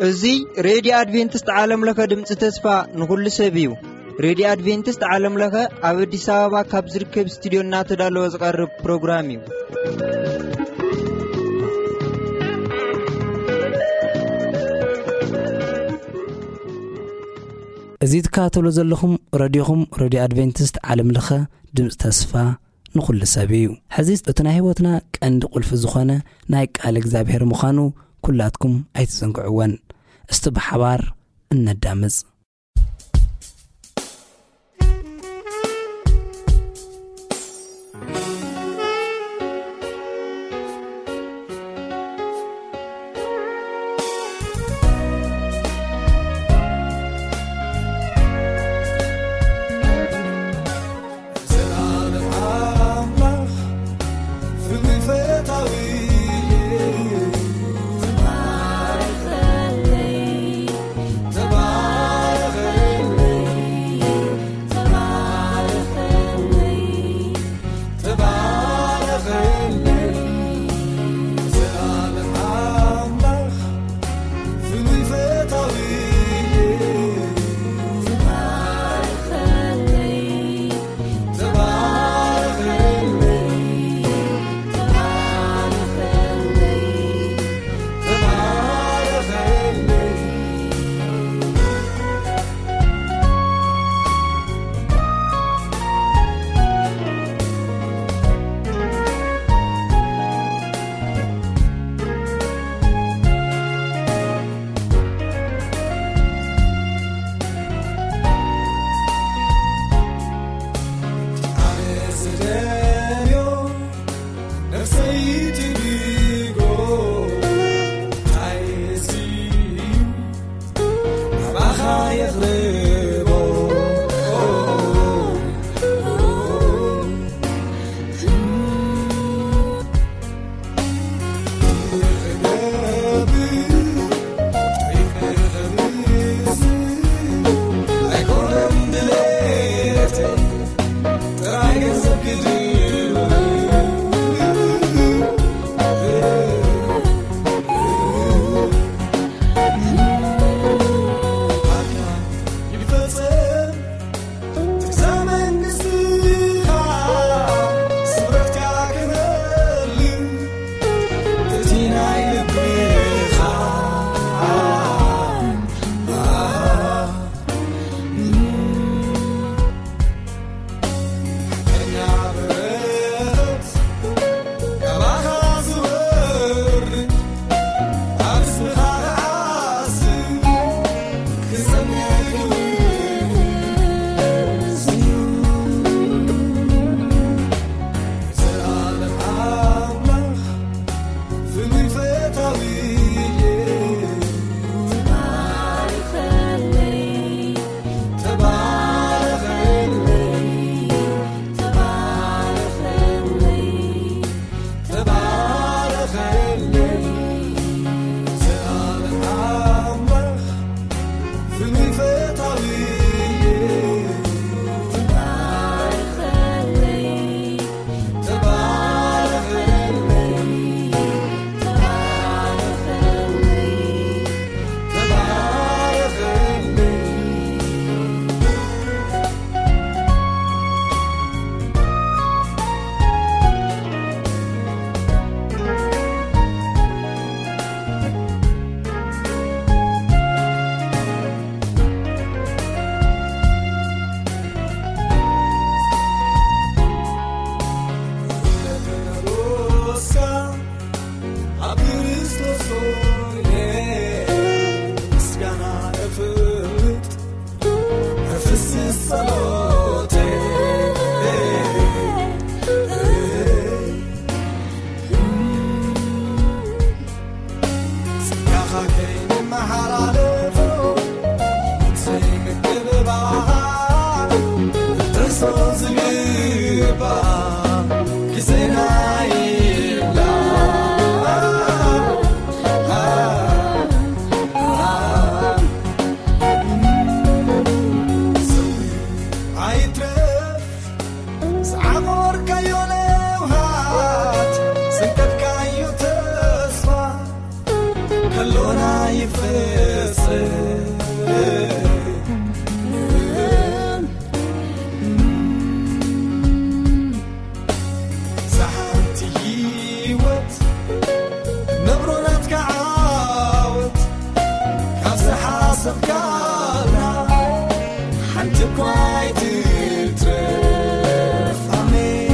እዚ ሬድዮ ኣድቬንቲስት ዓለም ለኸ ድምፂ ተስፋ ንኹሉ ሰብ እዩ። ሬድዮ ኣድቬንቲስት ዓለም ለኸ ኣብ ኣዲስ ኣበባ ካብ ዝርከብ ስቱዲዮ እናተዳለወ ዝቐርብ ፕሮግራም እዩ። እዚ ትከታተሉ ዘለኹም ረድዮኹም፣ ረድዮ ኣድቬንቲስት ዓለም ለኸ ድምፂ ተስፋ ንኹሉ ሰብ እዩ። ሕዚ እቲ ናይ ህይወትና ቀንዲ ቁልፊ ዝኾነ ናይ ቃል እግዚኣብሔር ምዃኑ ኩላትኩም ኣይትዘንግዕወን። እስቲ ብሓባር እነዳምፅ። ሓንቲ እኳ ኣይትትረፍ። ኣሜን።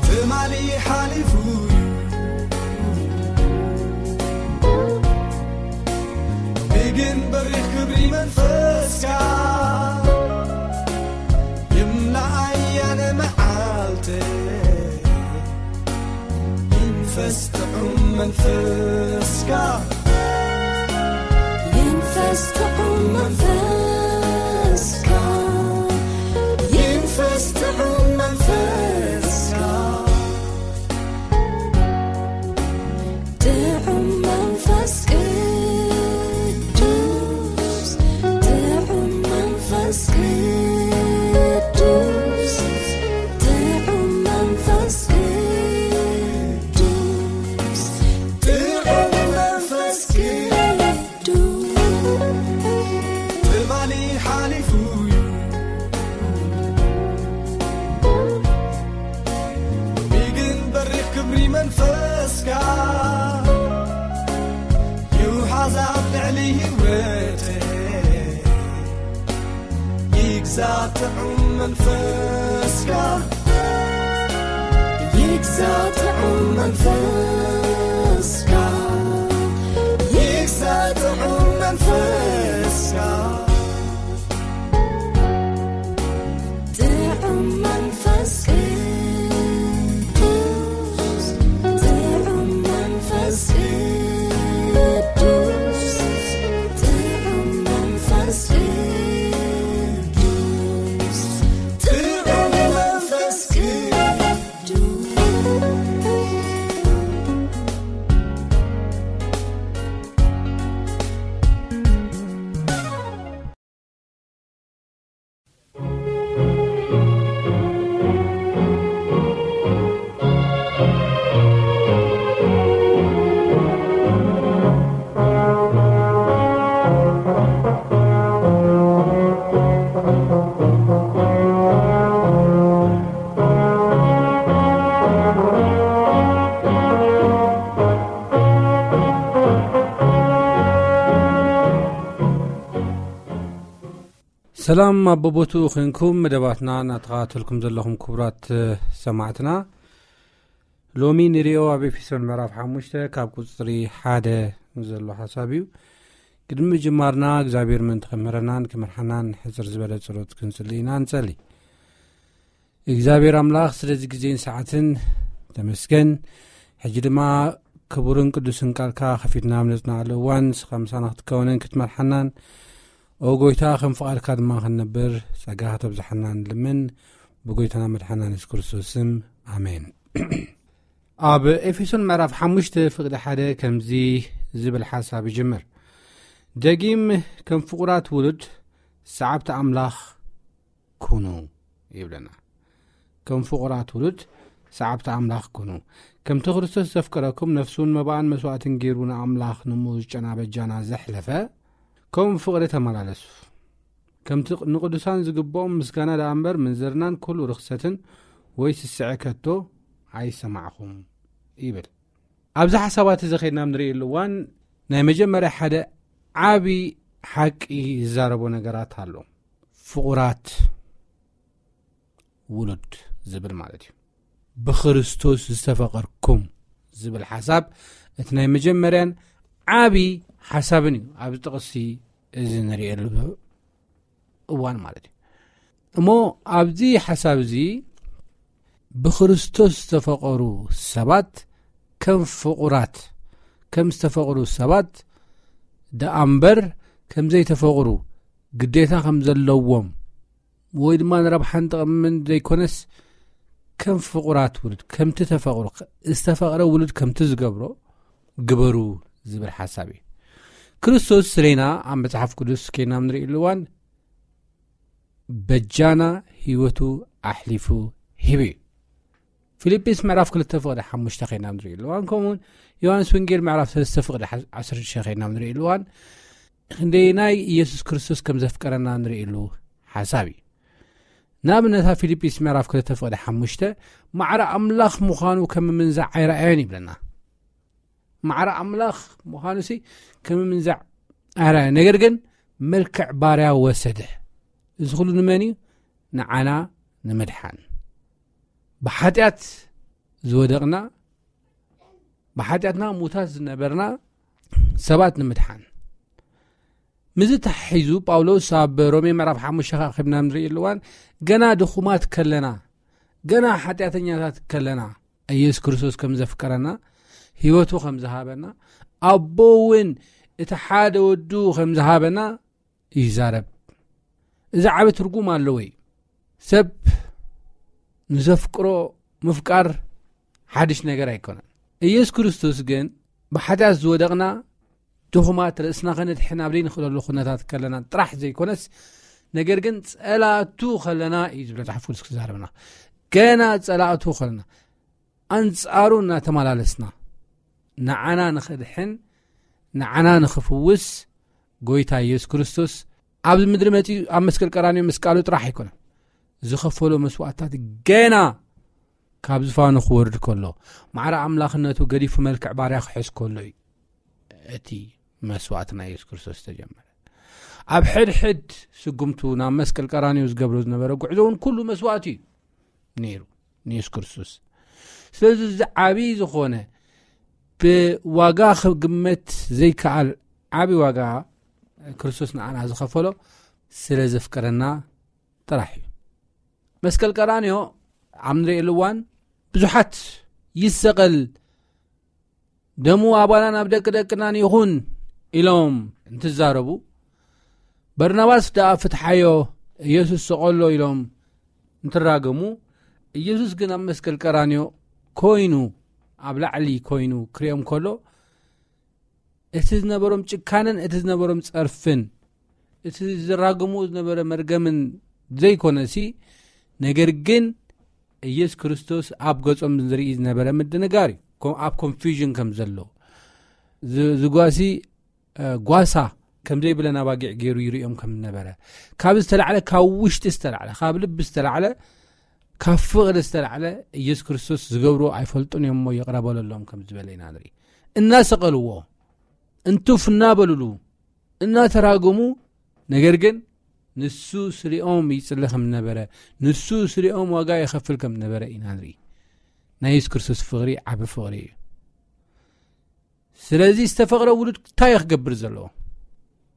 ትማሊ ሓሊፉ እዩ፣ ሎሚ ግን በሪኽ ክብሪ መንፈስካ። ይምላኣይ ኣነ መዓልተይ፣ ይንፈስ ጥዑም መንፈስካ። ይንፈስ ጥዑም መንፈስካ። ይንፈስ ጥዑም መንፈስካ። ጥዑም መንፈስ ቅዱስ፣ ጥዑም መንፈስ ቅዱስ፣ ጥዑም መንፈስ ቅዱስ፣ ጥዑም መንፈስ ቅዱስ። ትማሊ ሓሊፉ እዩ፣ ሎሚ ግን በሪኽ ክብሪ መንፈስካ። ይውሓዝ ኣብ ልዕሊ ህይወተይ፣ ይግዛእ ጥዑም መንፈስካ። ይግዛእ ጥዑም መንፈስካ። ይግዛእ ጥዑም መንፈስካ። ጥዑም መንፈስ ቅዱስ፣ ጥዑም መንፈስ ቅዱስ፣ ጥዑም መንፈስ ቅዱስ፣ ጥዑም መንፈስ ቅዱስ። ሰላም ኣብ በቦትኡ ኮንኩም መደባትና እናተኸታተልኩም ዘለኹም ክቡራት ሰማዕትና፣ ሎሚ ንሪኦ ኣብ ኤፌሶን ምዕራፍ ሓሙሽተ ካብ ቁፅሪ ሓደ ዘሎ ሓሳብ እዩ። ቅድሚ ምጅማርና እግዚኣብሔር ምእንቲ ከምህረናን ክመርሓናን ሕፅር ዝበለ ጸሎት ክንጽሊ ኢና። ንጸሊ። እግዚኣብሔር ኣምላኽ ስለዚ ግዜን ሰዓትን ተመስገን። ሕጂ ድማ ክቡርን ቅዱስን ቃልካ ከፊትና ኣብ ነጽናዓሉ እዋን ንስኻ ምሳና ክትከውንን ክትመርሓናን ኦ ጎይታ ከም ፍቓድካ ድማ ክንነብር ጸጋ ከተብዝሓና ንልምን ብጎይታና መድሓና የሱስ ክርስቶስ ስም ኣሜን። ኣብ ኤፌሶን ምዕራፍ ሓሙሽተ ፍቕዲ ሓደ ከምዚ ዝብል ሓሳብ ይጅምር። ደጊም ከም ፍቑራት ውሉድ ሰዓብቲ ኣምላኽ ኩኑ ይብለና። ከም ፍቑራት ውሉድ ሰዓብቲ ኣምላኽ ኩኑ። ከምቲ ክርስቶስ ዘፍቀረኩም ነፍሱን መባኣን መስዋእትን ገይሩ ንኣምላኽ ንሙ ዝጨና በጃና ዘሕለፈ፣ ከምኡ ፍቕሪ ተመላለሱ። ከምቲ ንቅዱሳን ዝግብኦም ምስጋና ደኣ እምበር ምንዝርናን ኩሉ ርኽሰትን ወይ ስስዐ ከቶ ኣይሰማዕኹም ይብል። ኣብዚ ሓሳባት እዚ ኸይድና ንርእየሉ እዋን ናይ መጀመርያ ሓደ ዓቢ ሓቂ ዝዛረቦ ነገራት ኣሎ። ፍቑራት ውሉድ ዝብል ማለት እዩ። ብክርስቶስ ዝተፈቐርኩም ዝብል ሓሳብ እቲ ናይ መጀመርያን ዓቢ ሓሳብን እዩ ኣብዚ ጥቕሲ እዚ ንርእየሉ እዋን ማለት እዩ። እሞ ኣብዚ ሓሳብ እዚ ብክርስቶስ ዝተፈቐሩ ሰባት ከም ፍቑራት፣ ከም ዝተፈቕሩ ሰባት ደኣ እምበር ከም ዘይተፈቕሩ ግዴታ ከም ዘለዎም ወይ ድማ ንረብሓን ጥቕምን ዘይኮነስ ከም ፍቑራት ውሉድ ከምቲ ተፈቕሩ፣ ዝተፈቕረ ውሉድ ከምቲ ዝገብሮ ግበሩ ዝብል ሓሳብ እዩ። ክርስቶስ ስለና ኣብ መጽሓፍ ቅዱስ ከይና ንርእየሉ እዋን በጃና ህይወቱ ኣሕሊፉ ሂቡ እዩ። ፊልጲስ ምዕራፍ ክልተ ፍቕዲ ሓሙሽተ ከይና ንርእየሉ እዋን፣ ከምኡውን ዮሃንስ ወንጌል ምዕራፍ ሰለስተ ፍቕዲ ዓሰርተ ሽዱሽተ ከይና ንርእየሉ እዋን፣ ክንደየናይ ኢየሱስ ክርስቶስ ከም ዘፍቀረና ንርእየሉ ሓሳብ እዩ። ንኣብነት ኣብ ፊልጲስ ምዕራፍ ክልተ ፍቕዲ ሓሙሽተ፣ ማዕረ ኣምላኽ ምዃኑ ከም ምንዛዕ ኣይረኣዮን ይብለና። ማዕረ ኣምላኽ ምዃኑሲ ከም ምንዛዕ ኣይረኣዮን፣ ነገር ግን መልክዕ ባርያ ወሰደ። እዚ ኩሉ ንመን እዩ? ንዓና ንምድሓን። ብሓጢኣት ዝወደቕና፣ ብሓጢኣትና ሙታት ዝነበርና ሰባት ንምድሓን። ምዚ ተሓሒዙ ጳውሎስ ኣብ ሮሜ ምዕራፍ ሓሙሽተ ከኣ ከብና ንርእየሉ እዋን፣ ገና ድኹማት ከለና፣ ገና ሓጢኣተኛታት ከለና፣ ኢየሱስ ክርስቶስ ከም ዘፍቀረና፣ ህይወቱ ከም ዝሃበና፣ ኣቦ እውን እቲ ሓደ ወዱ ከም ዝሃበና ይዛረብ። እዚ ዓቢ ትርጉም ኣለዎ እዩ። ሰብ ንዘፍቅሮ ምፍቃር ሓድሽ ነገር ኣይኮነን። ኢየሱስ ክርስቶስ ግን ብሓጢኣት ዝወደቕና ድኹማት ርእስና ከነድሕን ኣብ ዘይንኽእለሉ ኩነታት ከለና ጥራሕ ዘይኮነስ፣ ነገር ግን ጸላእቱ ከለና እዩ ዝብል መጽሓፍ ቅዱስ ክዛረብና። ገና ጸላእቱ ከለና፣ ኣንጻሩ እናተመላለስና፣ ንዓና ንኸድሕን፣ ንዓና ንኽፍውስ፣ ጎይታ ኢየሱስ ክርስቶስ ኣብዚ ምድሪ መጺኡ ኣብ መስቀል ቀራንዮ ምስቃሉ ጥራሕ ኣይኮነን። ዝኸፈሎ መስዋዕታት ገና ካብ ዝፋኑ ክወርድ ከሎ፣ ማዕረ ኣምላኽነቱ ገዲፉ መልክዕ ባርያ ክሕዝ ከሎ እዩ እቲ መስዋዕቲ ናይ ኢየሱስ ክርስቶስ ዝተጀመረ። ኣብ ሕድሕድ ስጉምቱ ናብ መስቀል ቀራንዮ ዝገብሮ ዝነበረ ጉዕዞ እውን ኩሉ መስዋዕቲ እዩ ነይሩ ንኢየሱስ ክርስቶስ። ስለዚ እዚ ዓቢ ዝኾነ ብዋጋ ክግመት ዘይከኣል ዓቢ ዋጋ ክርስቶስ ንዓና ዝኸፈሎ ስለ ዘፍቀረና ጥራሕ እዩ። መስቀል ቀራንዮ ኣብ ንርእየሉ እዋን ብዙሓት ይሰቐል፣ ደሙ ኣባናን ኣብ ደቂ ደቅናን ይኹን ኢሎም እንትዛረቡ፣ በርናባስ ደኣ ፍትሓዮ፣ ኢየሱስ ሰቐሎ ኢሎም እንትራገሙ፣ ኢየሱስ ግን ኣብ መስቀል ቀራንዮ ኮይኑ፣ ኣብ ላዕሊ ኮይኑ ክርእዮም ከሎ፣ እቲ ዝነበሮም ጭካነን እቲ ዝነበሮም ጸርፍን፣ እቲ ዝራገምዎ ዝነበረ መርገምን ዘይኮነሲ፣ ነገር ግን ኢየሱስ ክርስቶስ ኣብ ገጾም ዝርኢ ዝነበረ ምድንጋር እዩ። ኮ-፣ ኣብ ኮንፊውዥን ከም ዘለዉ፣ ዝ-፣ ዝጓሲ፣ እ፣ ጓሳ ከም ዘይብለን ኣባጊዕ ገይሩ ይርእዮም ከም ዝነበረ፣ ካብ ዝተላዕለ፣ ካብ ውሽጢ ዝተላዕለ፣ ካብ ልቢ ዝተላዕለ፣ ካብ ፍቕሪ ዝተላዕለ ኢየሱስ ክርስቶስ ዝገብርዎ ኣይፈልጡን እዮም እሞ ይቕረ በለሎም ከም ዝበለ ኢና ንርኢ። እናሰቐልዎ፣ እንትፍ እናበሉሉ፣ እናተራገሙ፣ ነገር ግን ንሱ ስሪኦም ይጽሊ ከም ነበረ፣ ንሱ ስሪኦም ዋጋ ይኸፍል ከም ነበረ ኢና ንርኢ። ናይ የሱስ ክርስቶስ ፍቕሪ ዓቢ ፍቕሪ እዩ። ስለዚ ዝተፈቕረ ውሉድ እንታይ እዩ ክገብር ዘለዎ?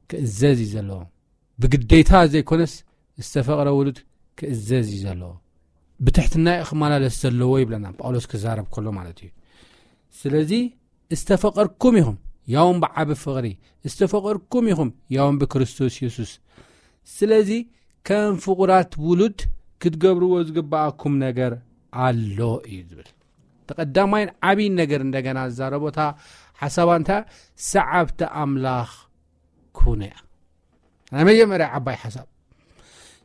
ክእዘዝ እዩ ዘለዎ። ብግዴታ ዘይኮነስ ዝተፈቕረ ውሉድ ክእዘዝ እዩ ዘለዎ። ብትሕትና እዩ ክመላለስ ዘለዎ ይብለና ጳውሎስ ክዛረብ ከሎ ማለት እዩ። ስለዚ ዝተፈቐርኩም ኢኹም፣ ያውን ብዓቢ ፍቕሪ፣ ዝተፈቐርኩም ኢኹም፣ ያውን ብክርስቶስ የሱስ። ስለዚ ከም ፍቑራት ውሉድ ክትገብርዎ ዝግብኣኩም ነገር ኣሎ እዩ ዝብል። እቲ ቀዳማይን ዓብይን ነገር እንደገና ዝዛረቦ እታ ሓሳባ እንታይ? ሰዓብቲ ኣምላኽ ኩኑ እያ። ናይ መጀመርያ ዓባይ ሓሳብ፣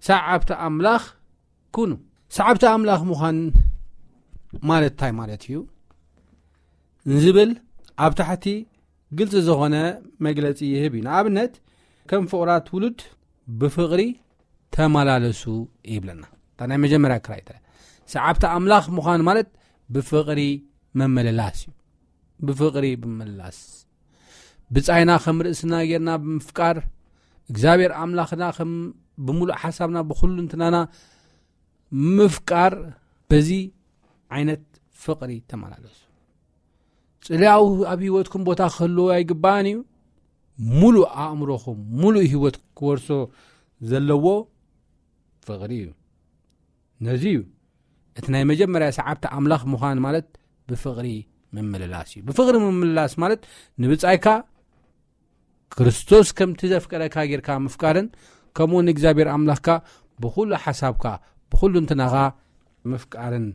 ሰዓብቲ ኣምላኽ ኩኑ። ሰዓብቲ ኣምላኽ ምዃን ማለት እንታይ ማለት እዩ ንዝብል ኣብ ታሕቲ ግልጺ ዝኾነ መግለጺ ይህብ እዩ። ንኣብነት፣ ከም ፍቑራት ውሉድ ብፍቕሪ ተመላለሱ ይብለና። እታ ናይ መጀመርያ ክራይተርያ፣ ሰዓብቲ ኣምላኽ ምዃን ማለት ብፍቕሪ ምምልላስ እዩ። ብፍቕሪ ምምልላስ፣ ብጻይና ከም ርእስና ጌርና ብምፍቃር፣ እግዚኣብሔር ኣምላኽና ከም ብምሉእ ሓሳብና ብኹሉ እንትናና ምፍቃር፣ በዚ ዓይነት ፍቕሪ ተመላለሱ። ጽልያኡ ኣብ ህይወትኩም ቦታ ክህልዎ ኣይግባእን እዩ። ሙሉእ ኣእምሮኹም፣ ሙሉእ ህይወት ክወርሶ ዘለዎ ፍቕሪ እዩ። ነዚ እዩ እቲ ናይ መጀመርያ ሰዓብቲ ኣምላኽ ምዃን ማለት ብፍቕሪ ምምልላስ እዩ። ብፍቕሪ ምምልላስ ማለት ንብጻይካ ክርስቶስ ከምቲ ዘፍቀረካ ጌርካ ምፍቃርን፣ ከምኡ ንእግዚኣብሔር ኣምላኽካ ብኹሉ ሓሳብካ፣ ብኹሉ እንትናኻ ምፍቃርን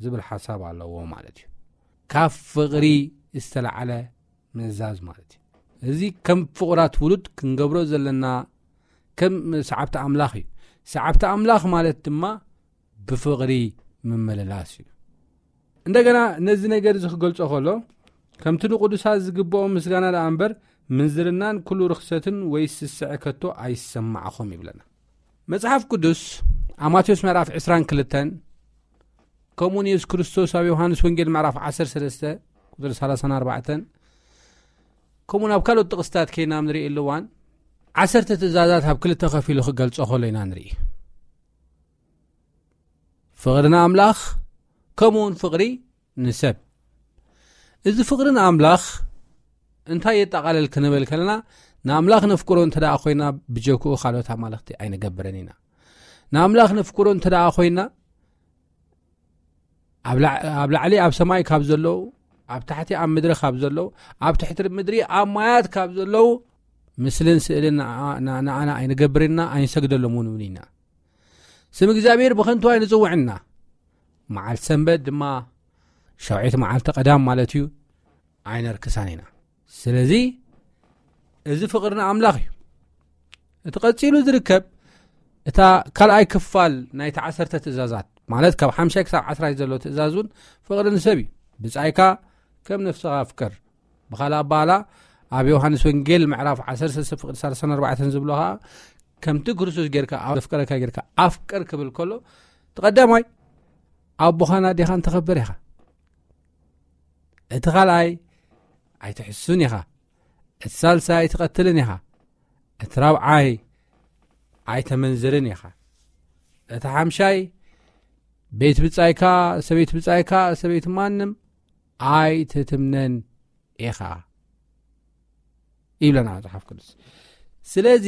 ዝብል ሓሳብ ኣለዎ ማለት እዩ። ካብ ፍቕሪ ዝተላዕለ ምእዛዝ ማለት እዩ። እዚ ከም ፍቑራት ውሉድ ክንገብሮ ዘለና፣ ከም ሰዓብቲ ኣምላኽ እዩ። ሰዓብቲ ኣምላኽ ማለት ድማ ብፍቕሪ ምምልላስ እዩ። እንደገና ነዚ ነገር እዚ ክገልጾ ከሎ፣ ከምቲ ንቅዱሳት ዝግብኦም ምስጋና ደኣ እምበር፣ ምንዝርናን ኩሉ ርኽሰትን ወይ ስስዐ ከቶ ኣይሰማዕኹም ይብለና። መጽሓፍ ቅዱስ ኣብ ማቴዎስ ምዕራፍ ዕስራን ክልተን፣ ከምኡውን የሱስ ክርስቶስ ኣብ ዮሃንስ ወንጌል ምዕራፍ ዓሰርተ ሰለስተ ቁጽሪ ሰላሳን ኣርባዕተን፣ ከምኡውን ኣብ ካልኦት ጥቕስታት ከይና ንርኢ ኣለዋን፣ ዓሰርተ ትእዛዛት ኣብ ክልተ ከፊሉ ክገልጾ ከሎ ኢና ንርኢ። ፍቕሪ ንኣምላኽ፣ ከምኡውን ፍቕሪ ንሰብ። እዚ ፍቕሪ ንኣምላኽ እንታይ የጠቓልል ክንብል ከለና፣ ንኣምላኽ ነፍቅሮ እንተ ደኣ ኮይና፣ ብጀክኡ ካልኦት ኣማልኽቲ ኣይንገብርን ኢና። ንኣምላኽ ነፍቅሮ እንተ ደኣ ኮይና፣ ኣብ ላዕ-፣ ኣብ ላዕሊ ኣብ ሰማይ ካብ ዘለዉ፣ ኣብ ታሕቲ ኣብ ምድሪ ካብ ዘለዉ፣ ኣብ ትሕቲ ምድሪ ኣብ ማያት ካብ ዘለዉ ምስልን ስእልን ንዓ-፣ ንዓ-፣ ንዓና ኣይንገብርን ኢና፣ ኣይንሰግደሎም እውን ኢና። ስም እግዚኣብሔር ብኸንቱ ኣይንጽውዕን ኢና። መዓልቲ ሰንበት ድማ ሻውዒት መዓልቲ ቀዳም ማለት እዩ፣ ኣይነርክሳን ኢና። ስለዚ እዚ ፍቕሪ ንኣምላኽ እዩ። እቲ ቀጺሉ ዝርከብ፣ እታ ካልኣይ ክፋል ናይቲ ዓሰርተ ትእዛዛት፣ ማለት ካብ ሓምሻይ ክሳብ ዓስራይ ዘሎ ትእዛዝ እውን ፍቕሪ ንሰብ እዩ። ብጻይካ ከም ነፍስኻ ኣፍቅር። ብኻልእ ኣባህላ፣ ኣብ ዮሃንስ ወንጌል ምዕራፍ ዓሰርተ ሰለስተ ፍቕዲ ሰላሳን ኣርባዕተን ዝብሎ ኸኣ፣ ከምቲ ክርስቶስ ጌርካ፣ ዘፍቀረካ ጌርካ ኣፍቅር ክብል ከሎ፣ እቲ ቀዳማይ ኣቦኻን ኣዴኻን ተኸብር ኢኻ። እቲ ካልኣይ ኣይትሕሱን ኢኻ። እቲ ሳልሳይ ኣይትቐትልን ኢኻ። እቲ ራብዓይ ኣይተመንዝርን ኢኻ። እቲ ሓምሻይ ቤት ብጻይካ፣ ሰበይት ብጻይካ፣ ሰበይት ማንም ኣይትትምነን ኢኻ ይብለና መጽሓፍ ቅዱስ። ስለዚ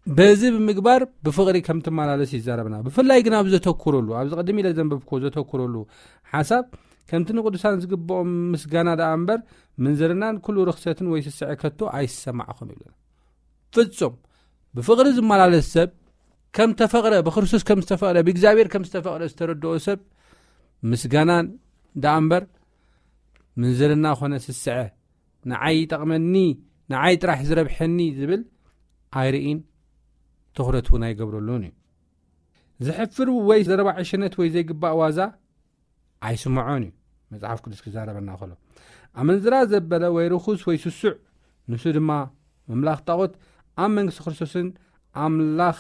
በዚ ብምግባር ብፍቕሪ ከም ትመላለስ ይዛረብና። ብፍላይ ግን ኣብ ዘተኩረሉ፣ ኣብዚ ቅድም ኢለ ዘንበብክዎ ዘተኩረሉ ሓሳብ፣ ከምቲ ንቅዱሳን ዝግብኦም ምስጋና ደኣ እምበር፣ ምንዝርናን ኩሉ ርኽሰትን ወይ ስስዐ ከቶ ኣይሰማዕኹም ይብለና። ፍጹም ብፍቕሪ ዝመላለስ ሰብ፣ ከም ተፈቕረ፣ ብክርስቶስ ከም ዝተፈቕረ፣ ብእግዚኣብሔር ከም ዝተፈቕረ ዝተረድኦ ሰብ፣ ምስጋናን ደኣ እምበር፣ ምንዝርና ኾነ ስስዐ፣ ንዓይ ይጠቕመኒ፣ ንዓይ ጥራሕ ዝረብሐኒ ዝብል ኣይርኢን፣ ትኹረት እውን ኣይገብረሉን እዩ። ዘሕፍር ወይ ዘረባ ዕሽነት ወይ ዘይግባእ ዋዛ ኣይስምዖን እዩ። መጽሓፍ ቅዱስ ክዛረበና ከሎ፣ ኣመንዝራ ዘበለ ወይ ርኹስ ወይ ስሱዕ፣ ንሱ ድማ ምምላኽ ጣዖት፣ ኣብ መንግስቲ ክርስቶስን ኣምላኽ፣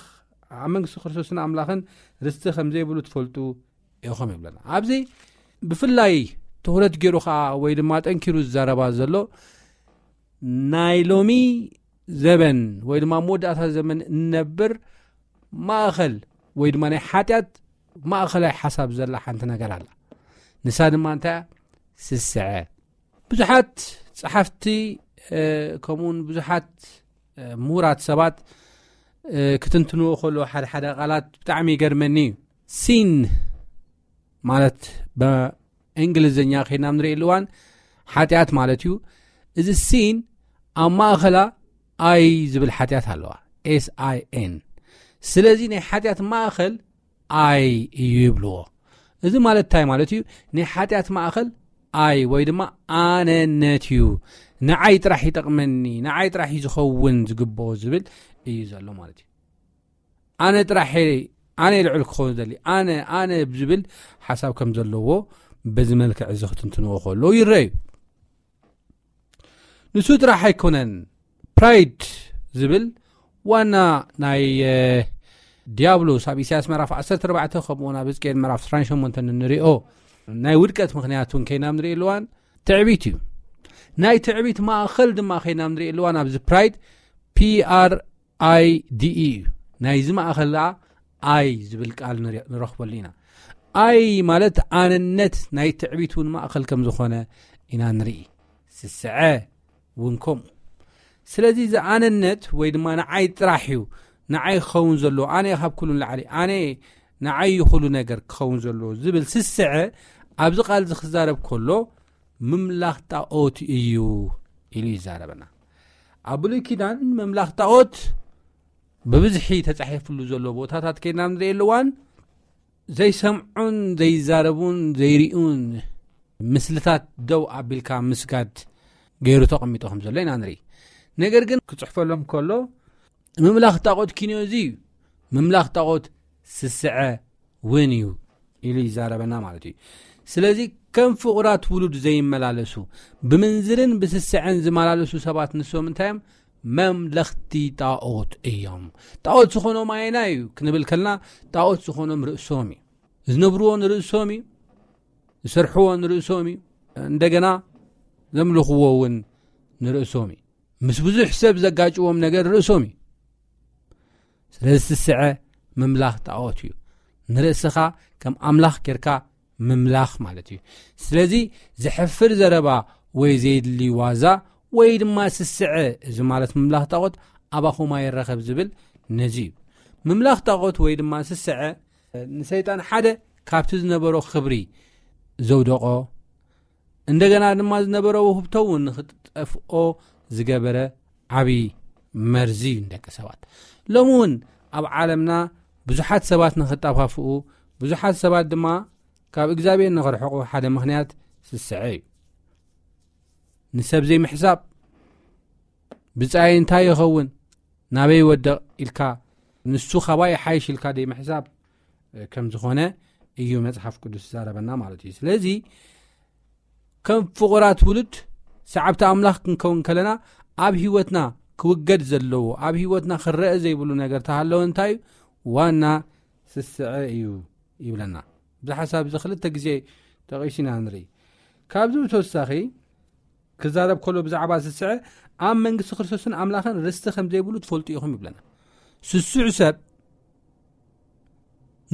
ኣብ መንግስቲ ክርስቶስን ኣምላኽን ርስቲ ከም ዘይብሉ ትፈልጡ ኢኹም ይብለና። ኣብዚ ብፍላይ ትኹረት ገይሩ ኸኣ ወይ ድማ ጠንኪሩ ዝዛረባ ዘሎ ናይ ሎሚ ዘበን ወይ ድማ ኣብ መወዳእታ ዘመን እንነብር ማእኸል ወይ ድማ ናይ ሓጢኣት ማእኸላይ ሓሳብ ዘላ ሓንቲ ነገር ኣላ። ንሳ ድማ እንታይ እያ? ስስዐ። ብዙሓት ጸሓፍቲ፣ እ፣ ከምኡውን ብዙሓት፣ እ፣ ምሁራት ሰባት፣ እ፣ ክትንትንዎ ከለዉ ሓደ ሓደ ቃላት ብጣዕሚ ይገርመኒ እዩ። ሲን ማለት ብእንግሊዝኛ ከይድና ንርእየሉ እዋን ሓጢኣት ማለት እዩ። እዚ ሲን ኣብ ማእኸላ ኣይ ዝብል ሓጢኣት ኣለዋ፣ ኤስ ኣይ ኤን። ስለዚ ናይ ሓጢኣት ማእኸል ኣይ እዩ ይብልዎ። እዚ ማለት እንታይ ማለት እዩ? ናይ ሓጢኣት ማእኸል ኣይ ወይ ድማ ኣነነት እዩ። ንዓይ ጥራሕ ይጠቕመኒ፣ ንዓይ ጥራሕ እዩ ዝኸውን ዝግብኦ ዝብል እዩ ዘሎ ማለት እዩ። ኣነ ጥራሕ እየ፣ ኣነ እየ ልዕል ክኸውን ዘድሊ፣ ኣነ፣ ኣነ ዝብል ሓሳብ ከም ዘለዎ በዚ መልክዕ እዚ ክትንትንዎ ከለዉ ይረኣዩ። ንሱ ጥራሕ ኣይኮነን፣ ፕራይድ ዝብል ዋና ናይ፣ እ፣ ዲያብሎስ ኣብ ኢሳያስ ምዕራፍ ዓሰርተ ኣርባዕተ ከምኡውን ኣብ ሕዝቅኤል ምዕራፍ ዕስራን ሸሞንተን እንሪኦ ናይ ውድቀት ምኽንያት እውን ከይና ንርኢ ኣለዋን ትዕቢት እዩ። ናይ ትዕቢት ማእኸል ድማ ከይና ንርኢ ኣለዋን ኣብዚ ፕራይድ፣ ፒ ኣር ኣይ ዲ ኢ እዩ። ናይዚ ማእኸል ደኣ ኣይ ዝብል ቃል ንረ-፣ ንረኽበሉ ኢና። ኣይ ማለት ኣነነት ናይ ትዕቢት እውን ማእኸል ከም ዝኾነ ኢና ንርኢ። ስስዐ እውን ከምኡ። ስለዚ እዚ ኣነነት ወይ ድማ ንዓይ ጥራሕ እዩ፣ ንዓይ ክኸውን ዘለዎ፣ ኣነ እየ ካብ ኩሉ ንላዕሊ፣ ኣነ እየ ንዓይ እዩ ኩሉ ነገር ክኸውን ዘለዎ ዝብል ስስዐ ኣብዚ ቃል እዚ ክዛረብ ከሎ ምምላኽ ጣኦት እዩ ኢሉ ይዛረበና። ኣብ ብሉይ ኪዳን ምምላኽ ጣኦት ብብዝሒ ተጻሒፍሉ ዘሎ ቦታታት ከይድና ንርኢ ኣለዋን ዘይሰምዑን ዘይዛረቡን ዘይርእዩን ምስልታት ደው ኣቢልካ ምስጋድ ገይሩ ተቐሚጡ ከም ዘሎ ኢና ንርኢ። ነገር ግን ክጽሕፈሎም ከሎ፣ ምምላኽ ጣዖት ኪንዮ እዚ እዩ፣ ምምላኽ ጣዖት ስስዐ እውን እዩ ኢሉ ይዛረበና ማለት እዩ። ስለዚ ከም ፍቑራት ውሉድ ዘይመላለሱ፣ ብምንዝርን ብስስዐን ዝመላለሱ ሰባት ንሶም እንታይ እዮም? መምለኽቲ ጣዖት እዮም። ጣዖት ዝኾኖም ኣየናይ እዩ ክንብል ከልና፣ ጣዖት ዝኾኖም ርእሶም እዩ። ዝነብርዎ ንርእሶም እዩ፣ ዝሰርሕዎ ንርእሶም እዩ፣ እንደገና ዘምልኽዎ እውን ንርእሶም እዩ። ምስ ብዙሕ ሰብ ዘጋጭዎም ነገር ርእሶም እዩ። ስለዚ ስስዐ ምምላኽ ጣዖት እዩ። ንርእስኻ ከም ኣምላኽ ጌርካ ምምላኽ ማለት እዩ። ስለዚ ዘሕፍር ዘረባ ወይ ዘይድሊ ዋዛ ወይ ድማ ስስዐ፣ እዚ ማለት ምምላኽ ጣዖት ኣባኹም ኣይረኸብ ዝብል ነዚ እዩ። ምምላኽ ጣዖት ወይ ድማ ስስዐ ንሰይጣን ሓደ ካብቲ ዝነበሮ ክብሪ ዘውደቖ፣ እንደገና ድማ ዝነበረ ውህብቶ እውን ንኽጠፍኦ ዝገበረ ዓብዪ መርዚ እዩ ንደቂ ሰባት። ሎሚ እውን ኣብ ዓለምና ብዙሓት ሰባት ንኽጠፋፍኡ፣ ብዙሓት ሰባት ድማ ካብ እግዚኣብሔር ንኽርሕቑ ሓደ ምኽንያት ስስዐ እዩ። ንሰብ ዘይምሕሳብ፣ ብጻይ እንታይ ይኸውን፣ ናበይ ይወድቕ ኢልካ፣ ንሱ ካባይ ይሓይሽ ኢልካ ዘይምሕሳብ ከም ዝኾነ እዩ መጽሓፍ ቅዱስ ዝዛረበና ማለት እዩ። ስለዚ ከም ፍቑራት ውሉድ ሰዓብቲ ኣምላኽ ክንከውን ከለና፣ ኣብ ህይወትና ክውገድ ዘለዎ፣ ኣብ ህይወትና ክረአ ዘይብሉ ነገር ተሃለወ እንታይ እዩ? ዋና ስስዐ እዩ ይብለና። እዚ ሓሳብ እዚ ክልተ ግዜ ጠቒሱ ኢና ንርኢ። ካብዚ ብተወሳኺ ክዛረብ ከሎ ብዛዕባ ስስዐ፣ ኣብ መንግስቲ ክርስቶስን ኣምላኽን ርስቲ ከም ዘይብሉ ትፈልጡ ኢኹም ይብለና። ስሱዕ ሰብ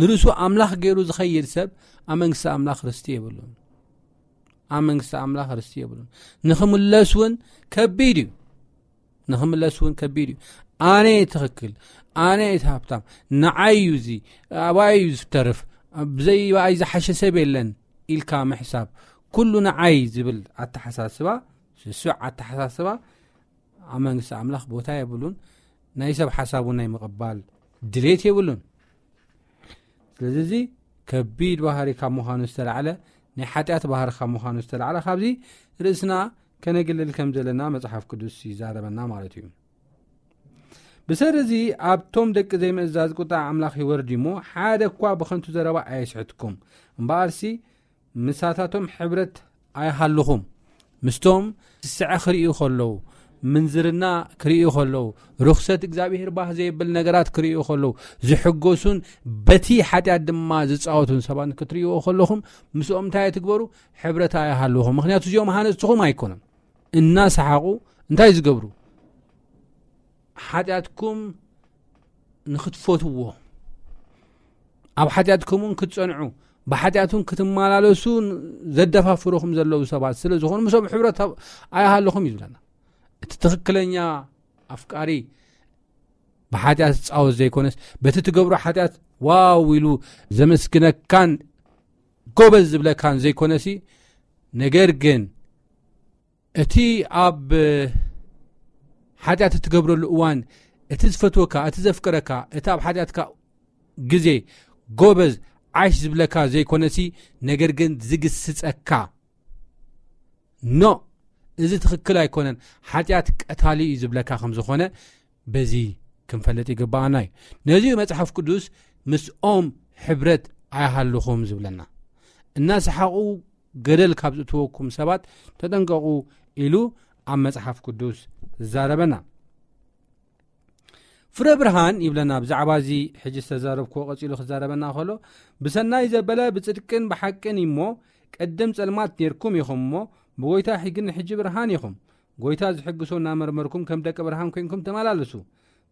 ንርእሱ ኣምላኽ ገይሩ ዝኸይድ ሰብ ኣብ መንግስቲ ኣምላኽ ርስቲ የብሉን። ኣብ መንግስቲ ኣምላኽ ርስቲ የብሉን። ንኽምለስ እውን ከቢድ እዩ። ንኽምለስ እውን ከቢድ እዩ። ኣነ እየ ትኽክል፣ ኣነ እየ ሃብታም፣ ንዓይ እዩ እዚ፣ ኣባይ እዩ ዝተርፍ፣ ብዘይ ኣይ ዝሓሸ ሰብ የለን ኢልካ ምሕሳብ፣ ኩሉ ንዓይ ዝብል ኣተሓሳስባ፣ ስሱዕ ኣተሓሳስባ ኣብ መንግስቲ ኣምላኽ ቦታ የብሉን። ናይ ሰብ ሓሳብ እውን ናይ ምቕባል ድሌት የብሉን። ስለዚ እዚ ከቢድ ባህሪ ካብ ምዃኑ ዝተላዕለ፣ ናይ ሓጢኣት ባህሪ ካብ ምዃኑ ዝተላዕለ፣ ካብዚ ርእስና ከነግልል ከም ዘለና መጽሓፍ ቅዱስ ይዛረበና ማለት እዩ። ብሰሪ እዚ ኣብቶም ደቂ ዘይምእዛዝ ቁጣ ኣምላኽ ይወርድ እሞ፣ ሓደ እኳ ብኸንቱ ዘረባ ኣየስሕትኩም። እምበኣርሲ ምሳታቶም ሕብረት ኣይሃልኹም። ምስቶም ስስዐ ክርእዩ ከለዉ፣ ምንዝርና ክርእዩ ከለዉ፣ ርኽሰት እግዚኣብሔር ባህ ዘየብል ነገራት ክርእዩ ከለዉ፣ ዝሕጎሱን በቲ ሓጢኣት ድማ ዝጻወቱን ሰባት ክትርእይዎ ከለኹም፣ ምስኦም እንታይ ኣይትግበሩ? ሕብረት ኣይሃልኹም። ምኽንያቱ እዚኦም ሃነጽትኹም ኣይኮኑን። እናሰሓቑ እንታይ ዝገብሩ? ሓጢኣትኩም ንኽትፈትዎ፣ ኣብ ሓጢኣትኩም እውን ክትጸንዑ፣ ብሓጢኣት እውን ክትመላለሱ ዘደፋፍሩኹም ዘለዉ ሰባት ስለ ዝኾኑ፣ ምስኦም ሕብረት ኣይሃልኹም እዩ ዝብለና። እቲ ትኽክለኛ ኣፍቃሪ ብሓጢኣት ዝጻወት ዘይኮነስ፣ በቲ ትገብሮ ሓጢኣት ዋው ኢሉ ዘመስግነካን ጎበዝ ዝብለካን ዘይኮነሲ፣ ነገር ግን እቲ ኣብ ሓጢኣት እትገብረሉ እዋን፣ እቲ ዝፈትወካ፣ እቲ ዘፍቅረካ፣ እቲ ኣብ ሓጢኣትካ ግዜ ጎበዝ ዓሽ ዝብለካ ዘይኮነሲ፣ ነገር ግን ዝግስጸካ፣ ኖ፣ እዚ ትኽክል ኣይኮነን፣ ሓጢኣት ቀታሊ እዩ ዝብለካ ከም ዝኾነ በዚ ክንፈልጥ ይግባኣና እዩ። ነዚ መጽሓፍ ቅዱስ ምስኦም ሕብረት ኣይሃልኹም ዝብለና። እናሰሓቑ ገደል ካብ ዝእትወኩም ሰባት ተጠንቀቑ ኢሉ ኣብ መጽሓፍ ቅዱስ ዝዛረበና። ፍረ ብርሃን ይብለና ብዛዕባ እዚ ሕጂ ዝተዛረብክዎ ቀጺሉ ክዛረበና ከሎ፣ ብሰናይ ዘበለ ብጽድቅን ብሓቅን እሞ፣ ቅድም ጸልማት ኔርኩም ኢኹም እሞ፣ ብጎይታ ሕጊ ንሕጂ ብርሃን ኢኹም። ጎይታ ዝሕግሶ እናመርመርኩም ከም ደቂ ብርሃን ኮይንኩም ተመላለሱ።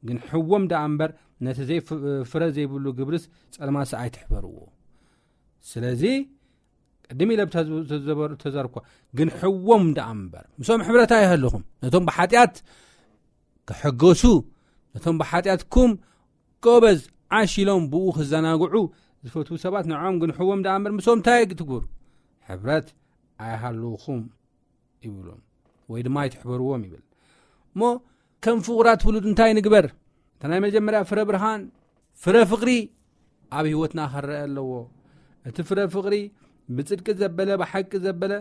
ግን ሕዎም ደኣ እምበር ነቲ ዘይፍ-፣ ፍረ ዘይብሉ ግብርስ ጸልማትስ ኣይትሕበርዎ። ስለዚ ቅድም ኢለ ብተዝ-፣ ተዘበር-፣ ተዘርኳ፣ ግን ሕዎም ደኣ እምበር ምስኦም ሕብረት ኣይሃልኹም። ነቶም ብሓጢኣት ክሕገሱ፣ ነቶም ብሓጢኣትኩም ጎበዝ ዓሽ ኢሎም ብኡ ክዘናግዑ ዝፈትዉ ሰባት ንዕኦም ግን ሕዎም ደኣ እምበር ምስኦም እንታይ ትግብሩ? ሕብረት ኣይሃልኹም ይብሎም፣ ወይ ድማ ኣይትሕበርዎም ይብል። እሞ ከም ፍቑራት ውሉድ እንታይ ንግበር? እታ ናይ መጀመርያ ፍረ ብርሃን፣ ፍረ ፍቕሪ፣ ኣብ ህይወትና ክረአ ኣለዎ። እቲ ፍረ ፍቕሪ ብጽድቂ ዘበለ፣ ብሓቂ ዘበለ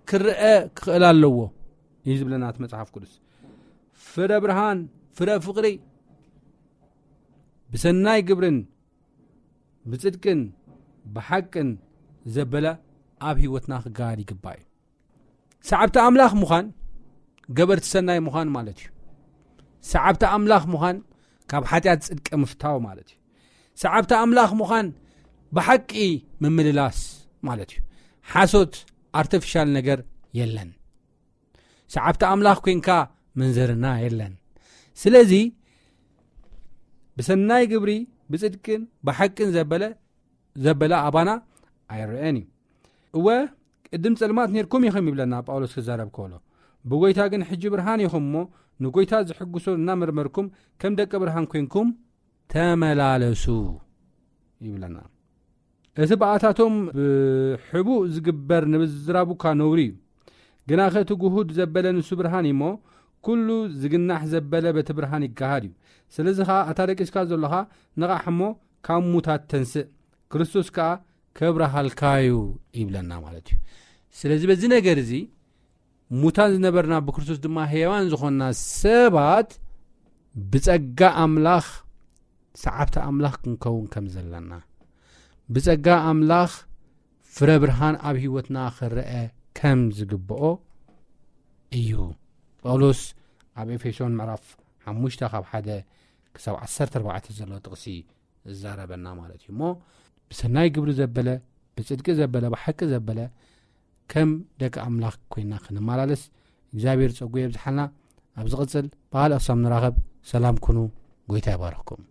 ክረአ ክኽእል ኣለዎ እዩ ዝብለና እቲ መጽሓፍ ቅዱስ። ፍረ ብርሃን፣ ፍረ ፍቕሪ ብሰናይ ግብርን ብጽድቅን ብሓቅን ዘበለ ኣብ ህይወትና ክገሃድ ይግባእ እዩ። ሰዓብቲ ኣምላኽ ምዃን ገበርቲ ሰናይ ምዃን ማለት እዩ። ሰዓብቲ ኣምላኽ ምዃን ካብ ሓጢኣት ጽድቂ ምፍታው ማለት እዩ። ሰዓብቲ ኣምላኽ ምዃን ብሓቂ ምምልላስ ማለት እዩ። ሓሶት፣ ኣርቲፊሻል ነገር የለን። ሰዓብቲ ኣምላኽ ኮንካ ምንዝርና የለን። ስለዚ ብሰናይ ግብሪ ብጽድቅን ብሓቅን ዘበለ ዘበለ ኣባና ኣይረአን እዩ። እወ ቅድም ጸልማት ነርኩም ኢኹም ይብለና ጳውሎስ ክዛረብ ከሎ፣ ብጎይታ ግን ሕጂ ብርሃን ኢኹም እሞ ንጎይታ ዝሕግሶ እናመርመርኩም ከም ደቂ ብርሃን ኮንኩም ተመላለሱ ይብለና። እቲ ብኣታቶም ብሕቡእ ዝግበር ንምዝራቡካ ነውሪ እዩ። ግናኸ እቲ ግሁድ ዘበለ ንሱ ብርሃን እዩ እሞ ኩሉ ዝግናሕ ዘበለ በቲ ብርሃን ይገሃድ እዩ። ስለዚ ኸዓ ኣታ ደቂስካ ዘለኻ ንቓሕ እሞ ካብ ሙታት ተንስእ፣ ክርስቶስ ከኣ ከብረሃልካ እዩ ይብለና ማለት እዩ። ስለዚ በዚ ነገር እዚ ሙታን ዝነበርና ብክርስቶስ ድማ ህያዋን ዝኾንና ሰባት ብጸጋ ኣምላኽ ሰዓብቲ ኣምላኽ ክንከውን ከም ዘለና፣ ብጸጋ ኣምላኽ ፍረ ብርሃን ኣብ ህይወትና ክረአ ከም ዝግብኦ እዩ። ጳውሎስ ኣብ ኤፌሶን ምዕራፍ ሓሙሽተ ካብ ሓደ ክሳብ ዓሰርተ ኣርባዕተ ዘሎ ጥቕሲ ዝዛረበና ማለት እዩ። እሞ ብሰናይ ግብሪ ዘበለ፣ ብጽድቂ ዘበለ፣ ብሓቂ ዘበለ ከም ደቂ ኣምላኽ ኮይና ክንመላለስ እግዚኣብሔር ጸጉ የብዝሓልና። ኣብ ዝቕጽል ብኻልእ ክሳብ ንራኸብ ሰላም ኩኑ። ጎይታ ይባርኽኩም።